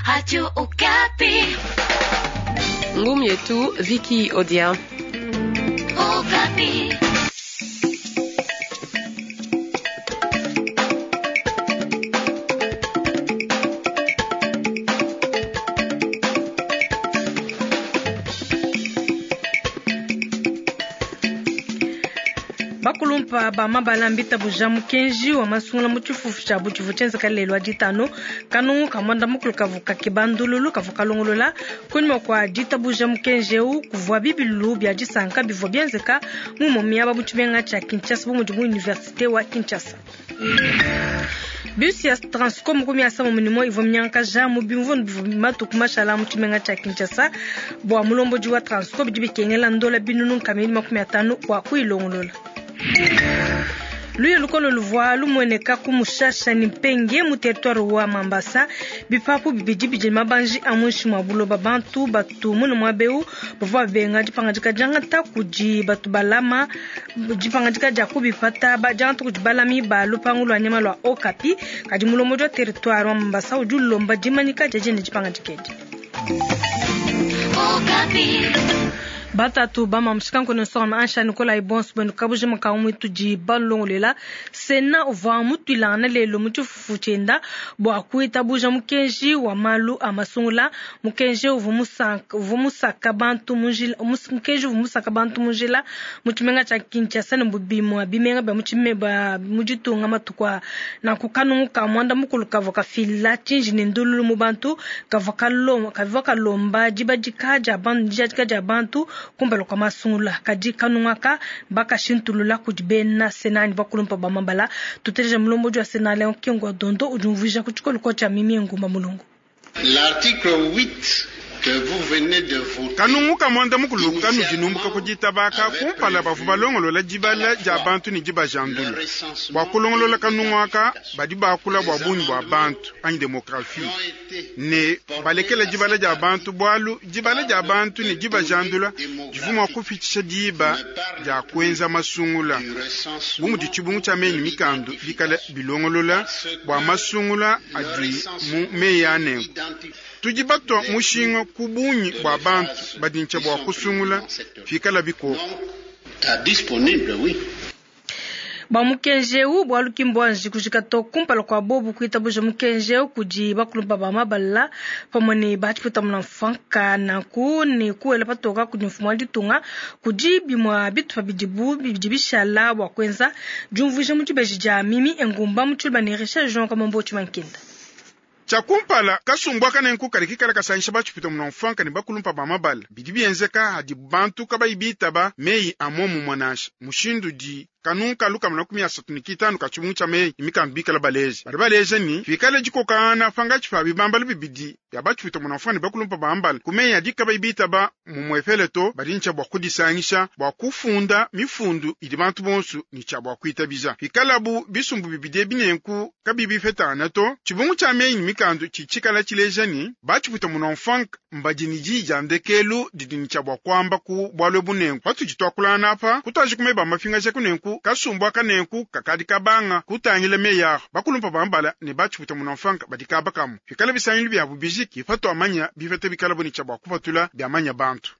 Radio Okapi. Ngumu yetu Vicky Odia. Okapi. Bakulumpa ba mabala mbitabuja mukenji wa masungula mu tshifufu tshiabu tshivua tshienzeka lelu wa ditanu. Kanungu ka muanda mukulu kavua kakeba ndululu kavua kalongolola kunyima kua ditabuja mukenji eu. Kuvua bibilu bia disanka bivua bienzeka mu imue miaba mu tshimenga tshia Kinshasa bu mudi mu universite wa Kinshasa. Bus ya Transco makumi asambombo ne umue ivua minyangakaja mu bimvundu bivua matuku mashala mu tshimenga tshia Kinshasa. Bua mulombodi wa Transco bidi bikengela ndola binunu nkama ibidi 50 bua kuyilongolola. Luya lukole luvua lumueneka ku Mushasha ne Mpenge mu territoire wa Mambasa. Bipapu bibidi bidi ne mabanji a muinshi mua buloba. Bantu batu mune muaba eu bavua babenga dipangadika diangata kudi batu balama dipangadika dia kubipata diangata kudi balami ba lupangu lua nyama lua Okapi. Kadi mulombodi wa territoire wa Mambasa udi ulomba dimanyika dia diende dipangadika edi. Batatu ba mamu shikanku ne nsonga ansha Nikolai bonso benu kabujima ka muitudi balongolela. Sena uvua mutuilangana lelu mu tshifufu tshienda bua kuitabuja mukenji wa malu a masungula. Mukenji uvua musaka, uvua musaka bantu mu njila, mukenji uvua musaka bantu mu njila mu tshimenga tshia Kinshasa ne mu bimue bimenga bia mu tshime, ba, mu ditunga matuku a nanku. Kanungu ka muanda mukulu kavua kafila tshinji ne ndululu mu bantu, kavua kalomba, kavua kalomba dibadika dia bantu, dijadika dia bantu kumpala kua masungula. Kadi kanungu aka bakashintulula kudi bena Sena ne bakulumpa ba mabala. Tuteleja mulombodi wa Sena Leon Kengo Dondo udi umvuija ku tshikoloko tshia Mimi Ngumba Mulungu. L'article 8 que vous venez de voter. Kanungu ka muanda mukulu kanudi numbuka ku ditaba aka kumpala bavua balongolola dibala dia bantu ne dibajandula. Bua kulongolola kanungu aka badi bakula bua bungi bua bantu anyi demographie ne balekela dibala dia bantu, bualu dibala dia bantu ne dibajandula divua mua kupitshisha diba dia kuenza masungula. Bu mudi tshibungu tshia meyi ne mikandu bikale bilongolola bua masungula adi mu meyi a nenku, tudi batua mushinga ku bungi bua bantu badi ntshia bua kusungula pikala bikoko. Disponible, oui. Bua mukenji eu, bualu ki mbuanji kujika to kumpala kua bobu kuitabuja mukenji eu kudi bakulumpa ba mabala pamue ne ba tshipuita mfuanka nanku ne kuela patoka kudi mfumu wa ditunga kudi bimue bitupa bidibu bidi bishala bua kuenza diumvuija mu dibeji dia Mimi Engumba mu Tshiluba ne Richard Jean Kamombo Tshimankenda. Tshia kumpala, kasumbu aka nenku kadi kikala kasangisha ba tshipuita mfuanka ne bakulumpa ba mabala. Bidi bienzeka hadi bantu kabayi bitaba meyi a momumue nansha mushindu di kanungu ka lukama 35 ka tshibungu tshia meyi ne mikandu bikala baleja. Badi baleja ni pikala dikokangana pangatshi pa bibambalu bibidi bia ba tshipuita mfuanka ne bakulumpa ba mabala ku meyi adi kabayi bitaba mumuepele to, badi ntshia bua kudisangisha bua kufunda mifundu idi bantu bonso ne tshia bua kuitabija. Pikalabu bisumbu bibidi ebi nenku kabiyi bipetangana to, tshibungu tshia meyi ne mikandu tshitshikala tshileja ni ba tshipuita mfuanka mbadi ne diyi dia ndekelu didi ne tshia bua kuamba ku bualu ebu nenku. Patudi tuakulangana apa, kutuaji ku meba mapingaja ku nenku, kasumbu aka nenku kakadi kabanga kutangila meyi aho. Bakulumpa ba mabala ne ba tshipuita mfuanka badi kaba kamue. Pikala bisangilu biabu bijiki, patuamanya bipeta bikala bu ne tshia bua kupatula biamanya bantu.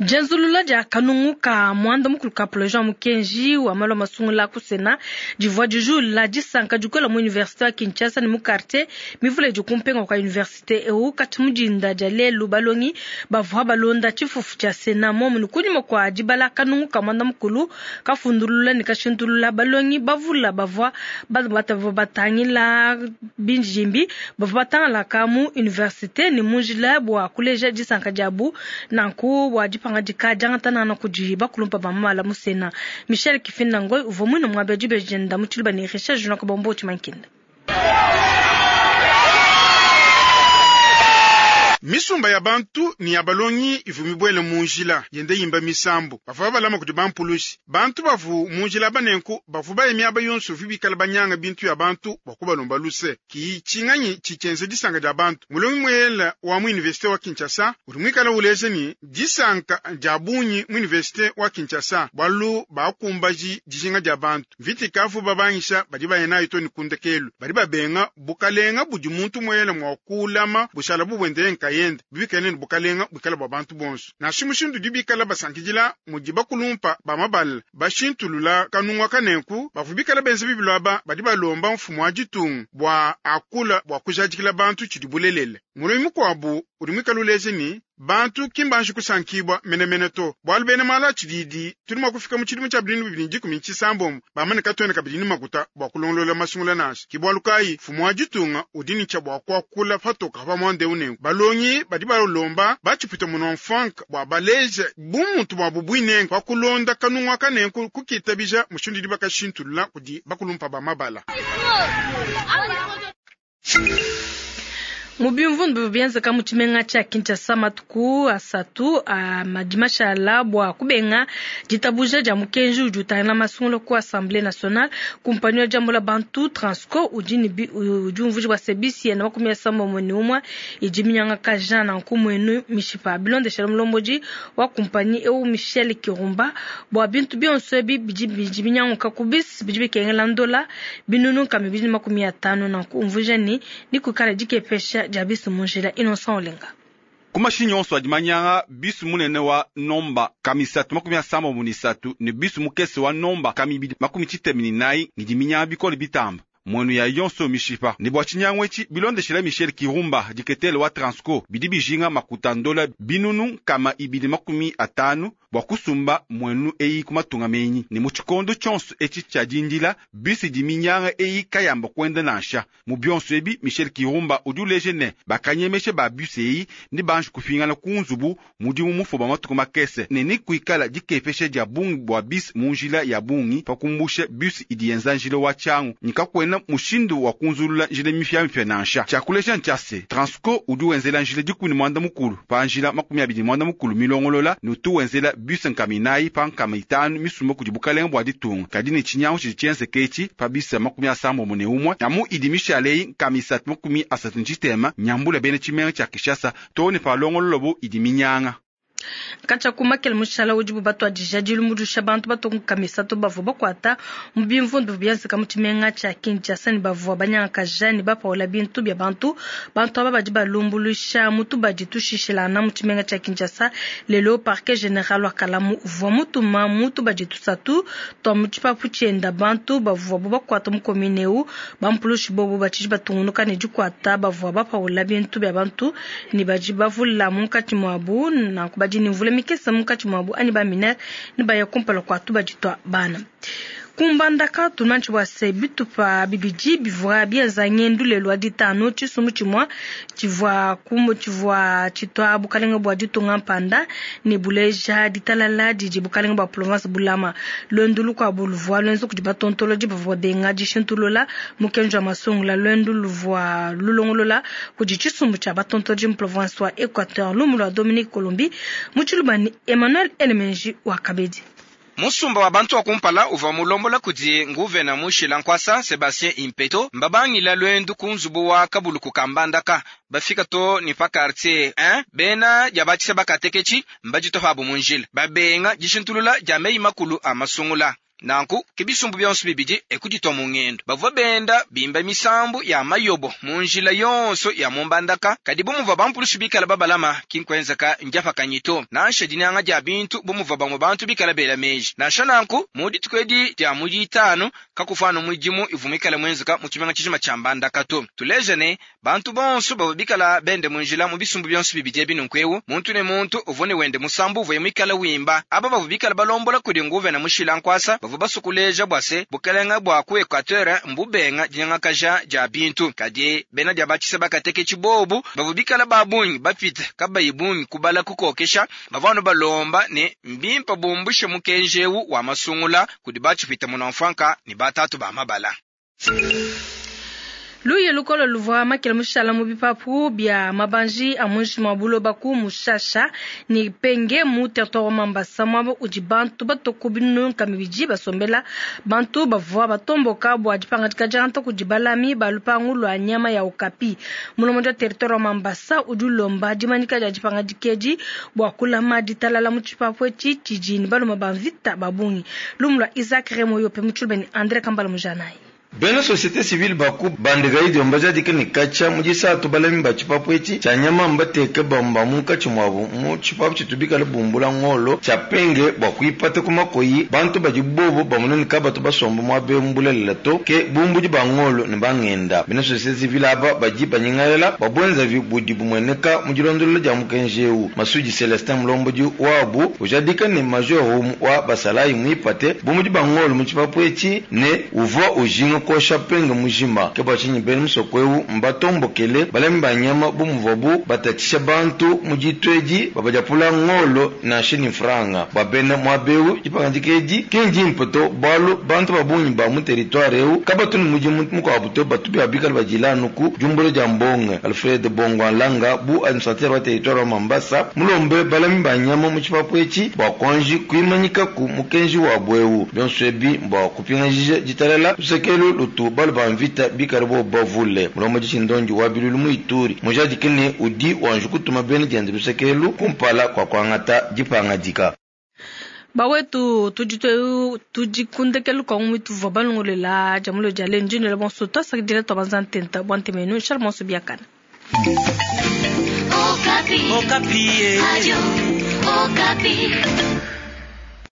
Dienzulula dia kanungu ka muanda mukulu ka projet wa mukenji wa malu a masungula ku Sena divua dijula disanka dikole mu universite wa Kinshasa ne mu quartier mivule idi ku mpenga kua universite eu. Kati mu dinda dia lelu balongi bavua balonda tshifufu tshia Sena momu ne kunyima kua dibala kanungu ka muanda mukulu kafundulula ne kashintulula balongi bavula bavua batangila binjimbi bavua batangalaka mu universite ne mu njila bua kuleja disanka diabu nanku bua dipangadika diangatana kudi bakulumpa ba mabala mu Sena. Michel Kifinda Ngoy uvua muine muaba dibeji dienda mu Tshiluba ne Richard Junior Kabombo Tshimankenda. Misumba ya bantu ne ya balongi ivua mibuele mu njila yenda yimba misambu. Bavua babalama kudi bampulushi. Bantu bavua mu njila banenku bavua baye miaba yonso ivua bikale banyanga bintu ya bantu bua kubalomba luse. Ki tshinganyi tshitshienza disanka dia bantu. Mulongi muela wa mu universite wa Kinshasa udi muikale uleja ne disanka dia bungi mu universite wa Kinshasa bualu bakumbaji dijinga dia bantu. Mvita ikavu babangisha badi baya nayo to ne kundekelu. Badi babenga bukalenga budi muntu muela mua kulama bushala bubwende nkayende bibikale ne bukalenga bwikala bua bantu bonso. Nansha mushindu udi bikala basankidila mudi bakulumpa ba mabala bashintulula kanunga kanenku bavua bikala benza bibilu aba badi balomba mfumu wa ditunga bua akula bua kujadikila bantu tshidi bulelele. Mulongi mukuabu udi muikale uleja ne bantu ki mbanji kusankibua menemene to bualu bena malu a tshididi tudi mua kufika mu tshidimu tshia 2016 bamane katuena kabidi ne makuta bua kulongolola masungula nansha. Ki bualu kayi mfumu wa ditunga udi ne tshia bua kuakula patoka pa muanda eu nenku balongi badi balomba batshipita muno mfanka bua baleje bumuntu buabu buinenku pa kulonda kanunga kanenku kukitabija mushindu udi bakashintulula kudi bakulumpa ba mabala. Mu bimvundu bienzeka mu tshimenga tshia Kinshasa matuku asatu a madimashala bua kubenga ditabuja dia mukenji udi utangila masungula ku Assemblée nationale. Kumpanyi wa diambula bantu Transco udi ne udi umvuija bua se bisi yenda 31 idi minyangakaja nanku muenu mishipa. Bilondeshela mulombodi wa kumpanyi eu Michel Kirumba bua bintu bionso ebi bidi binyanguka ku bisi bidi bikengela ndola binunu nkama 250 nanku umvuija ni nikukala dikepesha dia bisi mu njila Innocent Olenga. Ku mashinyi onso adi manyanga bisu munene wa nomba kami 373 ne bisu mukese wa nomba kami 294 ngidi minyanga bikole bitamba. Mwenu ya yonso mishipa ne bua tshinyangu etshi bilondeshela Michel Kirumba diketele wa Transco bidi bijinga makuta ndola binunu kama 250 bua kusumba mwenu eyi kumatunga menyi ne mu tshikondo tshionso etshi tshia dindila bisi di minyanga eyi kayamba kwenda nansha. Mu bionso ebi Michel Kirumba udi uleje ne bakanyemeshe ba bisi eyi ne banji kupingana ku nzubu mudimu mufoba matuku makese ne ni kuikala dikepeshe dia bungi bua bisi mu njila ya bungi pa kumbusha bisi idi yenza njila wa tshiangu nikakwena mushindu wa kunzulula njila mipyamipya nansha. Tshiakulesha ntshia Transco udi wenzela njila 13 pa njila 23 milongolola ne utu wenzela bisi nkama 4 pa nkama 5 misumba kudi bukalenga bua ditunga kadi ne tshinyangu tshidi tshienzeka etshi pa bisi 31 amu idi mishale nkama 336 nyambula bena tshimenga tshia Kinshasa to ne pa longololobo idi minyanga. Katshia ku makele mushala udibu batuadija dilumbuluisha bantu batonga misatu bavua bakuata mu bimvundu bienzeka mu tshimenga tshia Kinshasa ne bavua banyangakaja ne bapaula bintu bia bantu. Bantu aba badi balumbuluisha mutu badi tushishilana mu tshimenga tshia Kinshasa. Lelo parquet général wa Kalamu uvua mutuma mutu badi tusatu twa mu tshipapu tshienda bantu bavua bakuata mu commune eu bampulushi bobu batshidi batungunuka ne dikuata bavua bapaula bintu bia bantu ne badi bavula munkatshi muabu nanku badi ni mvula mikese munkatshi muabu ani ba minere ne baya kumpala kua tubadi twa bana. Kumbandaka tunanchi bua se bitupa bibidi bivua bienza ngendu lelu wa ditanu tshisumbu tshimue tshivua kumu tshivua tshitwa bukalenga bua ditunga mpanda ne buleja ditalala didi bukalenga bua province bulama. Lwendu lukuabu luvua lwenza kudi batontolodi bavua benga dishintulula mukenji wa masungula. Lwendu luvua lulongolola kudi tshisumbu tshia batontolodi mu province wa Equateur. Lumu lwa Dominique Colombi mu Tshilubani Emmanuel Elemenji wa Kabedi. Musumba wa bantu wa kumpala uvua mulombola kudi nguvena mushila nkwasa Sebastien Impeto mbabangila lwendu ku nzubu wa kabuluku kambandaka bafika to ni pa quartier 1 bena dia batshisa bakateketshi mbaditopabu mu njila babenga dishintulula dia meyi makulu a masungula. Nanku ke bisumbu bionso bibidi ekuditwa mu ngendo bavua benda bimba misambu ya mayobo mu njila yonso ya mumbandaka kadi bumuva bampulushi bikala babalama kinkwenzeka njapakanyito nansha dinyanga dia bintu bumuva bamwe bantu bikala bela meji nansha nanku mu dituku edi dia mu ditanu kakufana mudimu ivumikala mwenzeka mu tshimenga tshijima tshia mbandaka to tuleje ne bantu bonso bavua bikala bende mu njila mu bisumbu bionso bibidi ebi nunkuewu muntu ne muntu uvua ne wende musambu uvuye mwikala wimba aba bavua bikala balombola kudi nguvena mushila nkwasa basukuleja bua se bukalenga bua ku Equateur mbubenga dinyangakaja dia bintu kadi bena dia batshisa bakateke tshibobu bavua bikala babungi bapita kabayi bungi kubala kukokesha bavua anu balomba ne mbimpa bumbushe mukenji eu wa masungula kudi batshipita munomfanka ne batatu ba mabala. Luya lukole luvua makela mushala mu bipapu bia mabanji a muinshi mua buloba ku Mushasha ne Penge mu territoire wa Mambasa, muaba udi bantu batue ku binunu nkama ibidi basombela. Bantu bavua batomboka bua dipangadika diangata kudi balami ba lupangu lua nyama ya okapi. Mulombodi wa territoire wa Mambasa udi ulomba dimanyika dia dipangadika edi bua kulama ditalala mu tshipapu etshi tshidi ne balume ba mvita ba bungi. Lumu lua Isaac Remo Yope mu Tshiluba ne Andre Kambala Mujanayi. Bena societe civile ba ku Bandega idio mbajadike ne katshia mu disatu balami ba tshipapu etshi tshia nyama mbateke bamue ba munkatshi muabu mu tshipapu tshitu bikale bumbula ngolo tshia Penge bua kuipata ku makoyi bantu badi bobu bamona ne kabatu basomba muaba eu mu bulelela to, ke bumbudi ba ngolo ne bangenda. Bena societe civile aba badi banyingalela bua buenzavi budi bumueneka mu dilondolola dia mukenji eu. Masudi Celestin mulombodi wabu ujadika ne major umue wa basalayi muipate bumbudi ba ngolo mu tshipapu etshi ne uvua ujinga kuosha Penge mujima. Ke bua tshinyi bena musoko eu mbatombokele balami ba nyama bu muvuabu batatshisha bantu mu ditu edi, babadiapula ngolo nansha ne mfranga. Bua bena muaba eu, dipangadika edi ki ndimpe to, bualu bantu ba bungi ba mu teritware eu kabatu ne mudimu mukuabu to, batu bikale badila anu ku diumbula dia mbonge. Alfred Bongwanlanga, bu administratere wa teritware wa Mambasa, mulombe balami ba nyama mu tshipapu etshi bua kuanji kuimanyikaku mukenji wabu eu. Bionso ebi mbua kupingajija ditalala luseke elu lutu balu ba mvita bikale bobu bavule. Mulombodi tshindondi wa biluilu mu Ituri mujadike ne, udi wanji kutuma bena diende luseke elu kumpala kua kuangata dipangadika. Bawetu, tudi tudi ku ndekelu kua ngumu ituvua balongolola dia mulo dia lelu. Ndi nuela bonso tuasakidila tuabanza ntenta bua ntema yenu. Nshala bonso biakana. Okapi. Okapi. Radio Okapi.